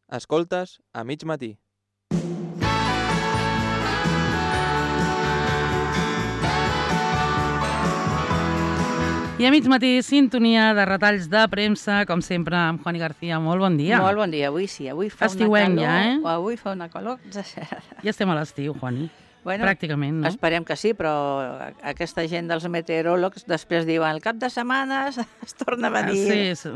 Escoltes a mig matí. I a mig matí, sintonia de retalls de premsa, com sempre, amb Juani García. Molt bon dia. Molt bon dia, avui sí. Avui fa Estiuenc una calor, ja, eh? Avui fa una calor exagerada. Ja estem a l'estiu, Juani. Bueno, pràcticament, no? Esperem que sí, però aquesta gent dels meteoròlegs després diuen el cap de setmana es torna a venir. Sí.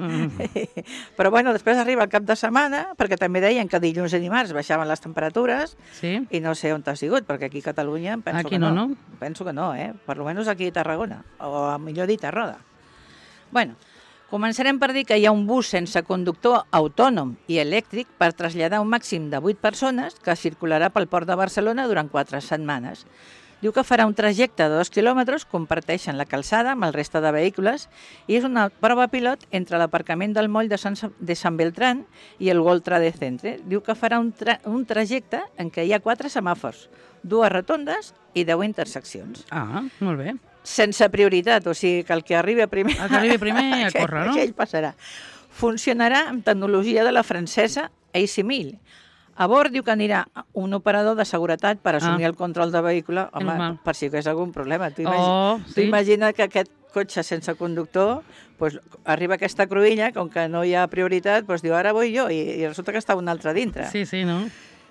Però bueno, després arriba el cap de setmana, perquè també deien que dilluns i dimarts baixaven les temperatures, Sí? i no sé on t'ha sigut, perquè aquí a Catalunya penso Aquí que no, no. no? Penso que no, Per lo menos aquí a Tarragona, o a millor dit a Roda. Bueno, començarem per dir que hi ha un bus sense conductor autònom i elèctric per traslladar un màxim de 8 persones que circularà pel Port de Barcelona durant 4 setmanes. Diu que farà un trajecte de 2 quilòmetres, comparteixen la calçada amb el reste de vehicles i és una prova pilot entre l'aparcament del moll de Sant Beltrán i el World Trade Center. Diu que farà un trajecte en què hi ha 4 semàfors, 2 rotondes i 10 interseccions. Ah, molt bé. Sense prioritat, o sigui que el que arribi primer... El que arribi primer a córrer, no? Aquell passarà. Funcionarà amb tecnologia de la francesa AC1000. A bord diu que anirà un operador de seguretat per assumir el control de vehicle, home, per si hi hagués algun problema. Tu imagina que aquest cotxe sense conductor, pues, arriba a aquesta cruïlla, com que no hi ha prioritat, pues, diu, ara vull jo, i resulta que està un altre dintre. Sí, no?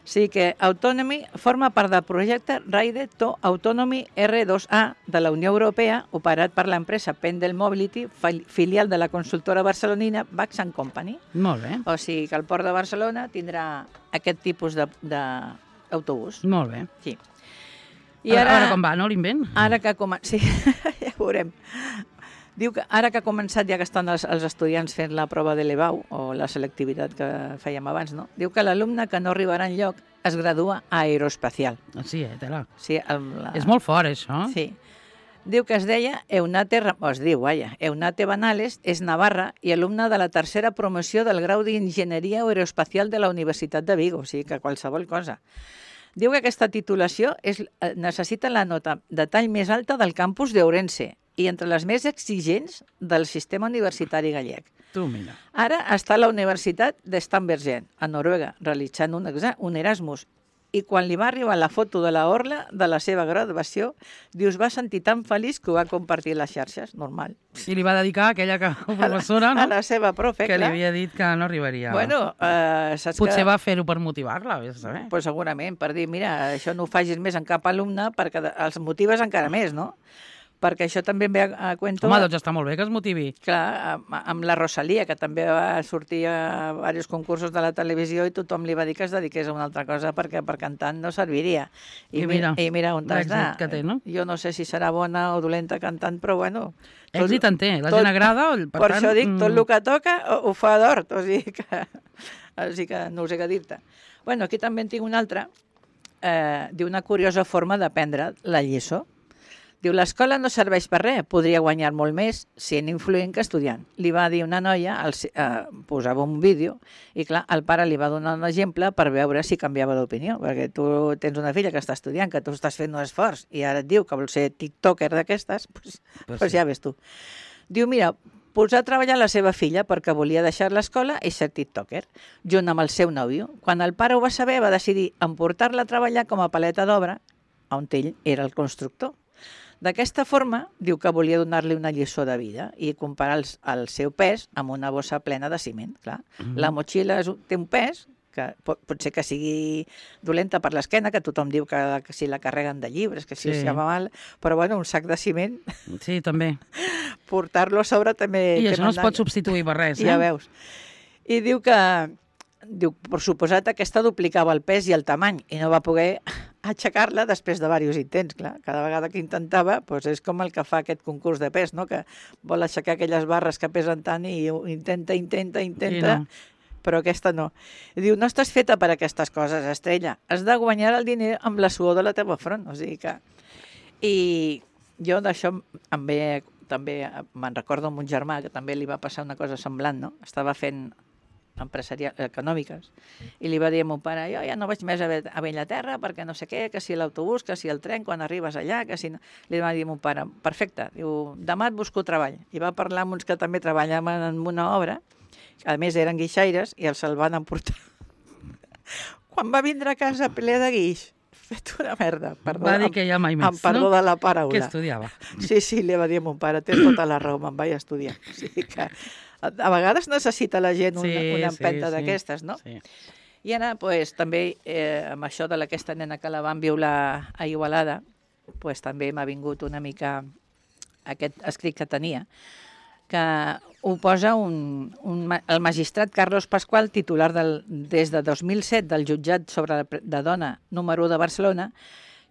Sí que Autonomy forma part del projecte Ride to Autonomy R2A de la Unió Europea, operat per l'empresa Pendel Mobility, filial de la consultora barcelonina Bax & Company. Molt bé. O sigui que el Port de Barcelona tindrà aquest tipus d'autobús. Molt bé. Sí. I ara com va, no, l'invent? Ara que sí, ja ho veurem. Diu que ara que ha començat, ja que estan els estudiants fent la prova de l'EBAU, o la selectivitat que fèiem abans, no? Diu que l'alumne que no arribarà enlloc es gradua a aeroespacial. Sí, tela. Sí, És molt fort, això. Sí. Diu que es deia Eunate Banales, és navarra i alumne de la tercera promoció del grau d'Enginyeria Aeroespacial de la Universitat de Vigo, o sigui que qualsevol cosa. Diu que aquesta titulació necessita la nota de tall més alta del campus d'Ourense i entre les més exigents del sistema universitari gallec. Tu, mira. Ara està a la Universitat de Stambergen, a Noruega, realitzant un Erasmus. I quan li va arribar la foto de la orla de la seva graduació, diu, es va sentir tan feliç que ho va compartir a les xarxes, normal. I li va dedicar a aquella professora, no? A la seva profe, que li havia dit que no arribaria. Bueno, saps Potser va fer-ho per motivar-la, vés a saber. Pues segurament, per dir, mira, això no ho facis més en cap alumne, perquè els motives encara més, no? Perquè això també em ve a cuento... Home, doncs està molt bé que es motivi. Clar, amb la Rosalia, que també va sortir a diversos concursos de la televisió i tothom li va dir que es dediqués a una altra cosa perquè per cantant no serviria. I mira on t'has d'anar. Que té, no? Jo no sé si serà bona o dolenta cantant, però bueno... Èxit en té, la gent agrada... Per això dic, tot el que toca ho fa d'hort, o sigui que no sé què dir-te. Bueno, aquí també en tinc una altra, d'una curiosa forma d'aprendre la lliçó. Diu, l'escola no serveix per res, podria guanyar molt més sent influent que estudiant. Li va dir una noia, posava un vídeo, i clar, el pare li va donar un exemple per veure si canviava d'opinió, perquè tu tens una filla que està estudiant, que tu estàs fent un esforç, i ara et diu que vol ser tiktoker d'aquestes, doncs ja ves tu. Diu, mira, posar a treballar la seva filla perquè volia deixar l'escola i ser tiktoker, junt amb el seu nòvio. Quan el pare ho va saber, va decidir emportar-la a treballar com a paleta d'obra, on ell era el constructor. D'aquesta forma, diu que volia donar-li una lliçó de vida i comparar el seu pes amb una bossa plena de ciment. Clar. La motxilla té un pes, que pot ser que sigui dolenta per l'esquena, que tothom diu que si la carreguen de llibres, que si va mal, però bueno, un sac de ciment... Sí, també. Portar-lo a sobre també... I això no es pot substituir per res, Ja veus. I diu que... Diu, per suposat, aquesta duplicava el pes i el tamany i no va poder aixecar-la després de diversos intents, clar. Cada vegada que intentava, doncs és com el que fa aquest concurs de pes, no? Que vol aixecar aquelles barres que pesen tant i intenta, no. Però aquesta no. I diu, no estàs feta per aquestes coses, estrella. Has de guanyar el diner amb la suor de la teva front. O sigui que... I jo d'això també me'n recordo amb un germà que també li va passar una cosa semblant, no? Estava fent econòmiques, i li va dir a mon pare, jo ja no vaig més a Bellaterra perquè no sé què, que si l'autobús, que si el tren quan arribes allà, que si no... Li va dir a mon pare, perfecte, diu, demà et busco treball. I va parlar amb uns que també treballaven en una obra, a més eren guixaires, i se'l van emportar Quan va vindre a casa ple de guix, fet una merda. Perdó, Va dir que ja mai més, amb perdó no? de la paraula. Que estudiava. Sí, li va dir a mon pare, tens tota la raó, me'n vaig a estudiar. O sigui que a vegades necessita la gent una empenta d'aquestes, no? Sí. I ara, pues, també, amb això de aquesta nena que la van violar a Igualada, pues, també m'ha vingut una mica aquest escrit que tenia, que ho posa el magistrat Carlos Pascual, titular des de 2007 del jutjat de dona número 1 de Barcelona,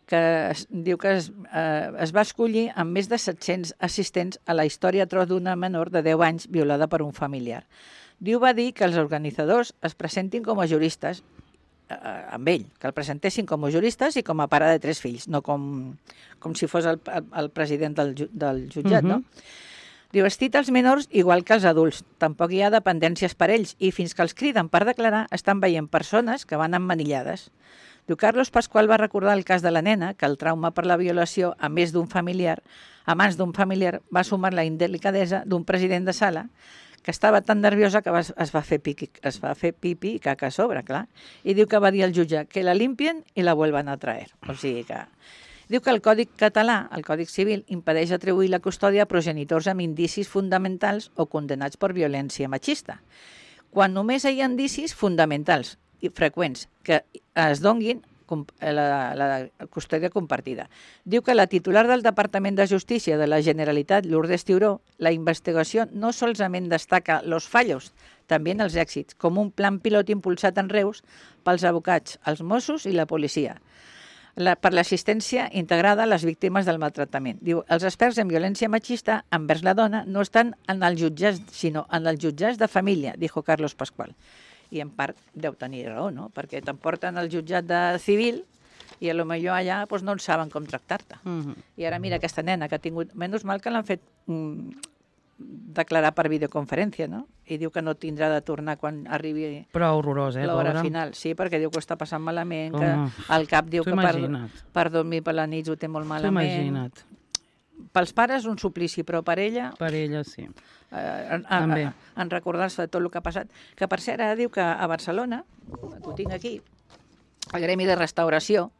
que diu que es va escollir amb més de 700 assistents a la història atroç d'una menor de 10 anys violada per un familiar. Diu va dir que els organitzadors es presentin com a juristes amb ell, que el presentessin com a juristes i com a pare de 3 fills, no com si fos el president del jutjat, no? Diu, es cita els menors igual que els adults, tampoc hi ha dependències per ells i fins que els criden per declarar estan veient persones que van emmanillades. Diu, Carlos Pascual va recordar el cas de la nena, que el trauma per la violació a mans d'un familiar va sumar la indelicadesa d'un president de sala que estava tan nerviosa que es va fer pipi i caca a sobre, clar. I diu que va dir al jutge que la limpien i la vuelvan a traer. O sigui que... Diu que el Codi català, el Codi Civil, impedeix atribuir la custòdia a progenitors amb indicis fonamentals o condenats per violència machista, quan només hi ha indicis fonamentals i freqüents que es donguin la custòdia compartida. Diu que la titular del Departament de Justícia de la Generalitat, Lourdes Tiuró, la investigació no solament destaca los fallos, també els èxits, com un plan pilot impulsat en Reus pels advocats, els Mossos i la policia, per l'assistència integrada a les víctimes del maltractament. Diu, els experts en violència machista envers la dona no estan en els jutjats, sinó en els jutjats de família, dijo Carlos Pascual. I en part deu tenir raó, no? Perquè t'emporten al jutjat de civil i potser allà doncs, no en saben com tractar-te. I ara mira aquesta nena que ha tingut... Menys mal que l'han fet declarar per videoconferència, no? I diu que no tindrà de tornar quan arribi horrorós, l'hora final. Sí, perquè diu que ho està passant malament, que al cap diu que per dormir per la nit ho té molt malament. Imagina't. Pels pares un suplici, però per ella... Per ella, sí. En recordar-se de tot el que ha passat. Que per cert, ara diu que a Barcelona, ho tinc aquí, el Gremi de Restauració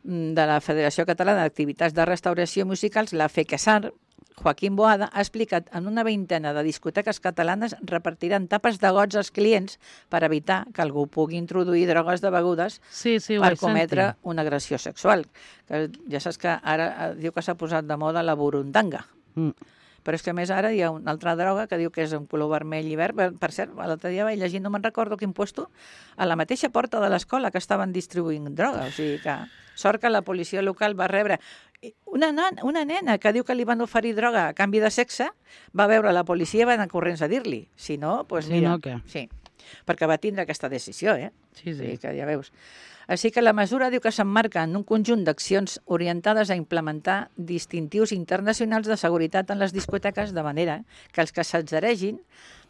de la Federació Catalana d'Activitats de Restauració Musicals, la FECASAR, Joaquín Boada, ha explicat en una vintena de discoteques catalanes repartiran tapes de gots als clients per evitar que algú pugui introduir drogues de begudes per cometre una agressió sexual. Que ja saps que ara diu que s'ha posat de moda la burundanga. Però és que a més ara hi ha una altra droga que diu que és un color vermell i verd. Per cert, l'altre dia vaig llegir, no me'n recordo quin puesto, a la mateixa porta de l'escola que estaven distribuint droga. O sigui que sort que la policia local va rebre una nena que diu que li van oferir droga a canvi de sexe, va veure la policia i va anar corrents a dir-li. Si no, doncs mira... Si no, què? Sí, perquè va tindre aquesta decisió, Sí. Que ja veus. Així que la mesura diu que s'emmarca en un conjunt d'accions orientades a implementar distintius internacionals de seguretat en les discoteques, de manera que els que s'adheregin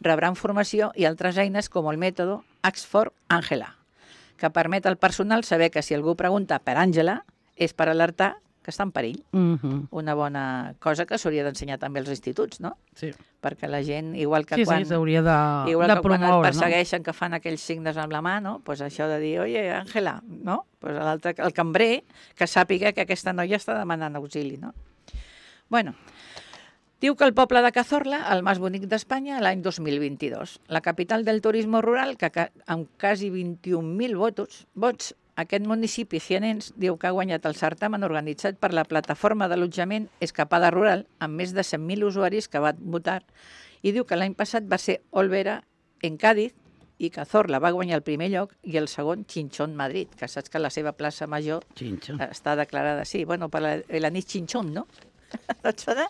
rebran formació i altres eines com el mètode Oxford Angela, que permet al personal saber que si algú pregunta per Àngela és per alertar que està en perill. Una bona cosa que s'hauria d'ensenyar també als instituts, no? Sí. Perquè la gent, igual que quan... Sí, s'hauria de promoure, quan et persegueixen, no? Que fan aquells signes amb la mà, no? Pues això de dir, oye, Àngela, no? Pues l'altre, el cambrer, que sàpiga que aquesta noia està demanant auxili, no? Bueno, diu que el poble de Cazorla, el més bonic d'Espanya, l'any 2022. La capital del turisme rural, que amb quasi 21.000 vots, aquest municipi cianens diu que ha guanyat el certamen organitzat per la plataforma d'allotjament Escapada Rural, amb més de 100.000 usuaris que van votar, i diu que l'any passat va ser Olvera en Cádiz i Cazorla va guanyar el primer lloc i el segon Chinchón Madrid, que saps que la seva plaça major està declarada, sí, bueno, per l'anís Chinchón, no? No et sona?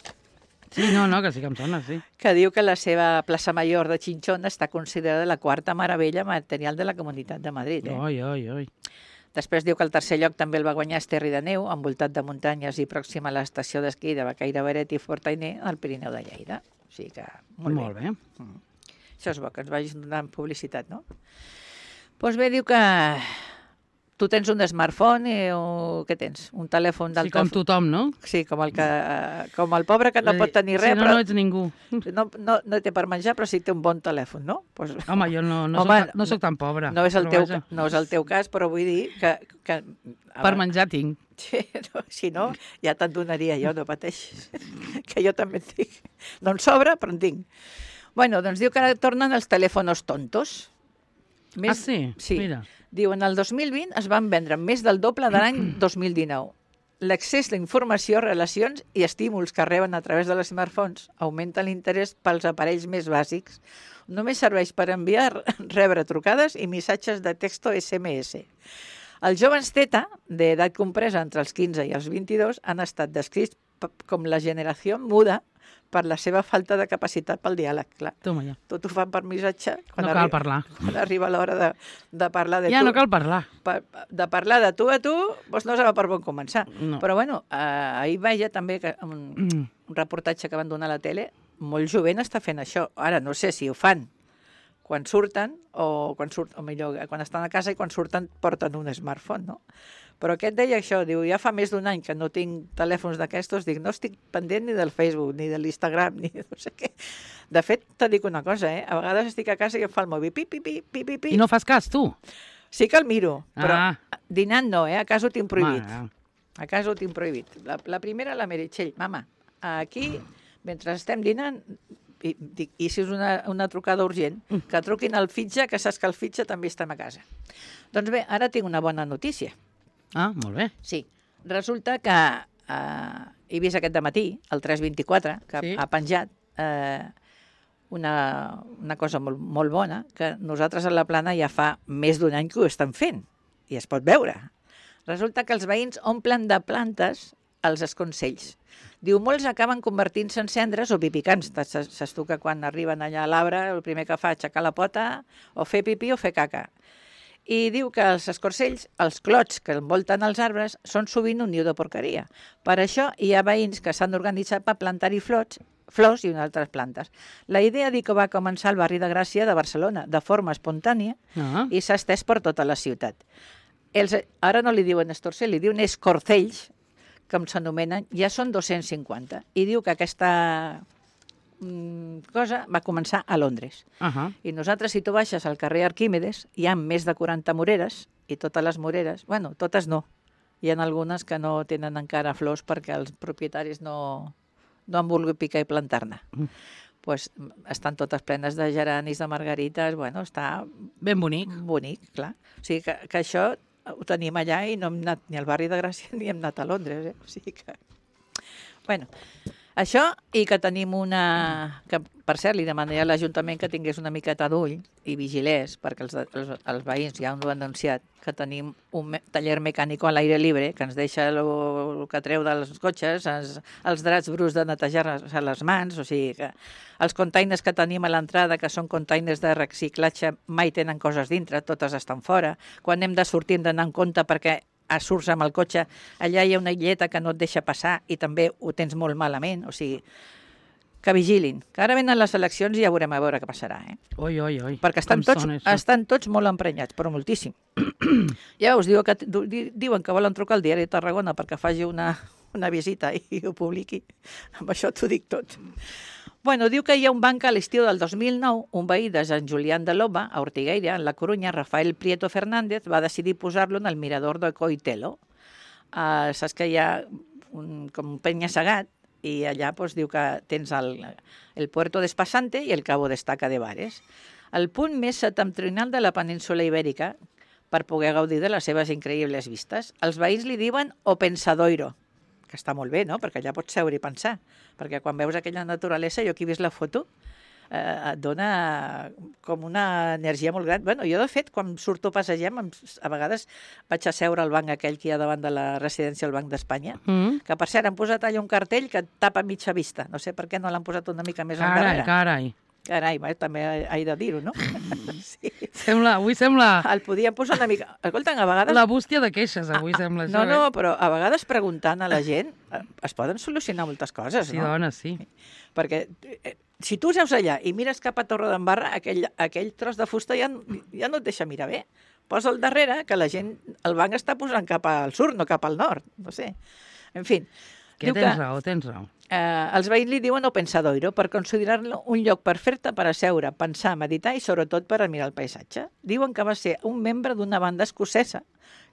Sí, no, que sí que em sona, sí. Que diu que la seva plaça major de Chinchón està considerada la quarta meravella material de la Comunitat de Madrid. Oi. Després diu que el tercer lloc també el va guanyar Esterri de Neu, envoltat de muntanyes i pròxim a l'estació d'esquí de Bacaire Beret i Fortainer, al Pirineu de Lleida. O sigui que molt bé. Això és bo, que ens vagis donant publicitat, no? Doncs bé, diu que tu tens un smartphone o què tens? Un telèfon Sí, d'alta... com tothom, no? Sí, com el pobre que no pot tenir res, no, però no ets ningú. no té per menjar, però sí té un bon telèfon, no? Pues, Home, jo no soc tan pobre. no és el però no és el teu cas, però vull dir que Per menjar tinc. Sí, no, si no, ja te'n donaria jo, no pateixis, que jo també en tinc. No en sobra, però en tinc. Bueno, doncs diu que ara tornen els telèfons tontos. Sí? Mira. Diu, en el 2020 es van vendre més del doble de l'any 2019. L'accés a informació, relacions i estímuls que reben a través de les smartphones augmenta l'interès pels aparells més bàsics. Només serveix per enviar, rebre trucades i missatges de texto SMS. Els joves Theta, d'edat compresa entre els 15 i els 22, han estat descrits com la generació muda per la seva falta de capacitat pel diàleg, clar. Toma ja. Tot ho fan per missatge. No cal parlar. Quan arriba l'hora de parlar de Ja tu. no cal parlar. De parlar de tu a tu, doncs no serà per bon començar. No. Però bueno, ahir veia també que un reportatge que van donar a la tele, molt jovent està fent això. Ara no sé si ho fan quan surten o millor, quan estan a casa i quan surten porten un smartphone, no? Però aquest deia això, diu, ja fa més d'un any que no tinc telèfons d'aquestos, dic, no estic pendent ni del Facebook, ni de l'Instagram, ni de no sé què. De fet, te dic una cosa, a vegades estic a casa i em fa el mòbil, pi. I no fas cas, tu? Sí que el miro, però dinant no, a casa ho tinc prohibit. A casa ho tinc prohibit. La primera, la Meritxell, mama, aquí, mentre estem dinant, i si és una trucada urgent, que truquin al fitxa, que saps que el fitxa també estem a casa. Doncs bé, ara tinc una bona notícia. Ah, molt bé. Sí, resulta que he vist aquest dematí, el 324, que ha penjat una cosa molt bona, que nosaltres a la Plana ja fa més d'un any que ho estem fent, i es pot veure. Resulta que els veïns omplen de plantes els esconcells. Diu, molts acaben convertint-se en cendres o pipicants. Saps tu que quan arriben allà a l'arbre el primer que fa és aixecar la pota o fer pipí o fer caca. I diu que els escorcells, els clots que envolten els arbres, són sovint un niu de porqueria. Per això hi ha veïns que s'han organitzat per plantar-hi flors i altres plantes. La idea diu que va començar al barri de Gràcia de Barcelona, de forma espontània, i s'ha estès per tota la ciutat. Ara no li diuen estorcells, li diuen escorcells, com s'anomenen, ja són 250. I diu que aquesta cosa va començar a Londres. I nosaltres, si tu baixes al carrer Arquímedes, hi ha més de 40 moreres, i totes les moreres, bueno, totes no, hi ha algunes que no tenen encara flors perquè els propietaris no han volgut picar i plantar-ne. Pues estan totes plenes de geranis, de margarites, bueno, està... Ben bonic. Bonic, clar. O sigui que això ho tenim allà i no hem anat ni al barri de Gràcia ni hem anat a Londres, O sigui que... Bueno... Això, i que tenim que per cert, li demanaria a l'Ajuntament que tingués una miqueta d'ull i vigilés, perquè els veïns ja ho han denunciat, que tenim un taller mecànic a l'aire libre, que ens deixa el que treu dels cotxes, els draps bruts de netejar-se les mans, o sigui que els containers que tenim a l'entrada, que són containers de reciclatge, mai tenen coses dintre, totes estan fora. Quan hem de sortir hem d'anar en compte perquè surts amb el cotxe, allà hi ha una illeta que no et deixa passar i també ho tens molt malament, o sigui, que vigilin. Que ara venen les eleccions i ja veurem a veure què passarà, Oi. Perquè estan tots molt emprenyats, però moltíssim. Ja veus, diuen que volen trucar al diari de Tarragona perquè faci una visita i ho publiqui. Amb això t'ho dic tot. Bueno, diu que hi ha un banc a l'estiu del 2009, un veí de Sant Julián de Loma, a Ortigueira, en la Corunya, Rafael Prieto Fernández, va decidir posar-lo en el mirador de Coitelo. Saps que hi ha com un penya-segat i allà diu que tens el Puerto d'Espasante i el Cabo d'Estaca de Bares. El punt més septentrional de la península ibèrica per poder gaudir de les seves increïbles vistes. Els veïns li diuen O Pensadoiro, que està molt bé, no?, perquè allà pots seure i pensar, perquè quan veus aquella naturalesa, jo aquí he vist la foto, et dona com una energia molt gran. Bueno, jo, de fet, quan surto a passejar, a vegades vaig a seure al banc aquell que hi ha davant de la residència del Banc d'Espanya, que, per cert, han posat allà un cartell que et tapa mitja vista. No sé per què no l'han posat una mica més endarrere. Carai, també he de dir-ho, no? Sí. Avui sembla... El podien posar una mica... Escolta, a vegades... La bústia de queixes, avui sembla això. No, però a vegades preguntant a la gent es poden solucionar moltes coses, no? Sí, dona, sí. Perquè si tu seus allà i mires cap a Torredembarra, aquell tros de fusta ja no et deixa mirar bé. posa al darrere que la gent, el banc està posant cap al sud, no cap al nord, no sé. En fi. Que tens raó, tens raó. Els veïns li diuen o pensadoiro per considerar-lo un lloc perfecte per asseure, pensar, meditar i sobretot per admirar el paisatge. Diuen que va ser un membre d'una banda escocesa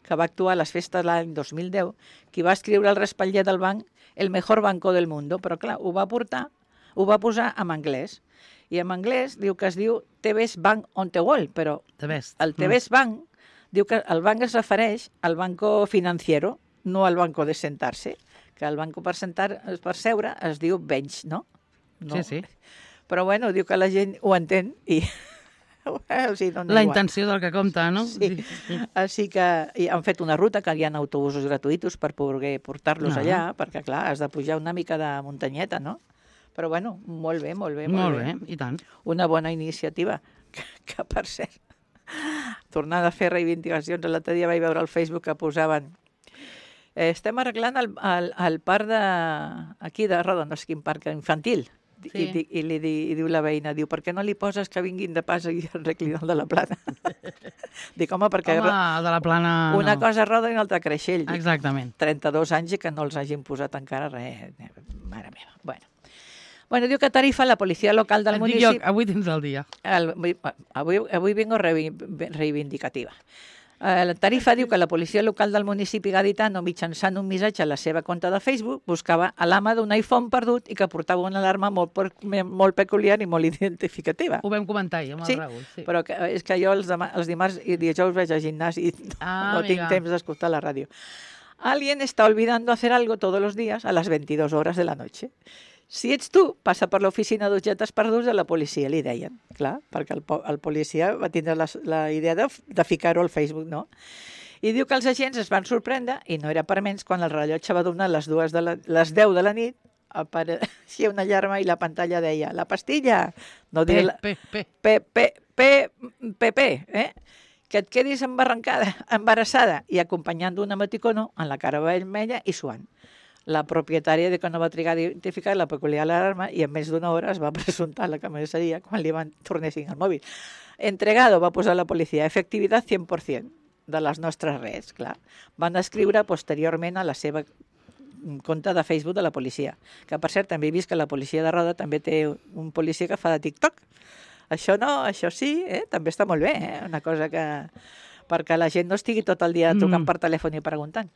que va actuar a les festes de l'any 2010, qui va escriure al respatller del banc el mejor banco del mundo, però clar, ho va posar en anglès. I en anglès diu que es diu The Best Bank on the World, però The best. el The Best Bank diu que el banc es refereix al banco financiero, no al banco de sentar-se, que el banco per seure es diu bench, no? Sí, sí. Però bueno, diu que la gent ho entén i... o sigui, La intenció del que compta, no? Sí. Així que han fet una ruta que hi ha autobusos gratuïts per poder portar-los allà, perquè clar, has de pujar una mica de muntanyeta, no? Però bueno, molt bé, molt bé. Molt bé, i tant. Una bona iniciativa, que per cert, tornant a fer reivindicacions, l'altre dia vaig veure al Facebook que posaven estem arreglant el parc aquí de Roda, no sé quin parc infantil. Sí. I diu la veïna, diu, per què no li poses que vinguin de pas i arreglin el de la Plana? Dic, home, perquè... Home, el de la Plana... Una cosa Roda i una altra Creixell. Exactament. 32 anys i que no els hagin posat encara res. Mare meva. Bueno, diu que tarifa la policia local del municipi... Avui tens el dia. Avui vengo reivindicativa. La tarifa diu que la policia local del municipi gaditano, mitjançant un missatge a la seva compte de Facebook, buscava a l'ama d'un iPhone perdut i que portava una alarma molt peculiar i molt identificativa. Ho vam comentar ahir amb el Raül. Sí, però és que jo els dimarts i dijous vaig al gimnàs i no tinc temps d'escoltar la ràdio. Alguien está olvidando hacer algo todos los días a las 22 horas de la noche. Si ets tu, passa per l'oficina d'objectes perduts de la policia, li deien. Clar, perquè el policia va tindre la idea de ficar-ho al Facebook, no? I diu que els agents es van sorprendre, i no era per menys, quan el rellotge va donar les 10 de la nit, apareixia una alarma i la pantalla deia la pastilla, no dir que et quedis embarassada i acompanyant d'una emoticono en la cara vermella i suant. La propietària de que no va trigar a identificar la peculiar alarma i en més d'una hora es va presentar a la comissaria quan li van tornessin el mòbil. Entregado, va posar la policia, efectivitat 100% de les nostres redes, clar. Van escriure posteriorment a la seva compte de Facebook de la policia. Que, per cert, també he vist que la policia de Roda també té un policia que fa de TikTok. Això no, això sí, també està molt bé, una cosa que... perquè la gent no estigui tot el dia trucant per telèfon i preguntant.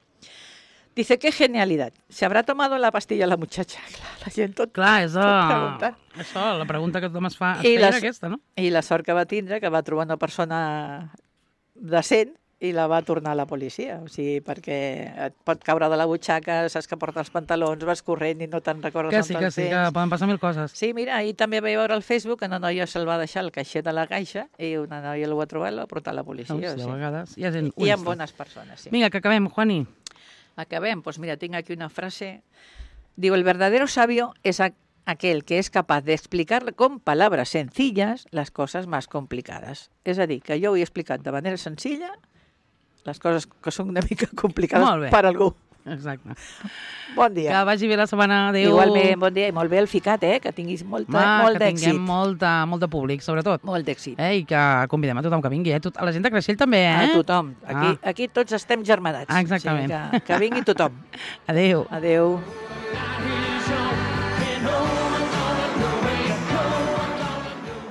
Dice, qué genialidad. ¿Se habrá tomado la pastilla la muchacha? Clar, la gent tot preguntant. Això, la pregunta que tothom es feia era aquesta, no? I la sort que va tindre, que va trobar una persona decent i la va tornar a la policia. O sigui, perquè et pot caure de la butxaca, saps que porta els pantalons, vas corrent i no te'n recordes que poden passar mil coses. Sí, mira, ahir també vaig veure al Facebook que una noia se'l va deixar al caixer de la caixa i una noia el va trobar i l'ha portat a la policia. De vegades hi ha gent honesta. Hi ha bones persones, sí. Vinga, que acabem, Juani. Acabem, pues mira, tinc aquí una frase. Diu, el verdadero sabio es aquel que es capaz de explicar con palabras sencillas las cosas más complicadas. És a dir, que jo ho he explicat de manera senzilla les coses que són una mica complicades per algú. Exacte. Bon dia. Que vagi bé la setmana. Adéu. Igualment, bon dia. I molt bé el ficat, que tinguis molt d'èxit. Que tinguem molt de públic, sobretot. Molt d'èxit. I que convidem a tothom que vingui, a la gent de Creixell també, A tothom. Aquí tots estem germanats. Exactament. O sigui que vingui tothom. Adéu. Adéu.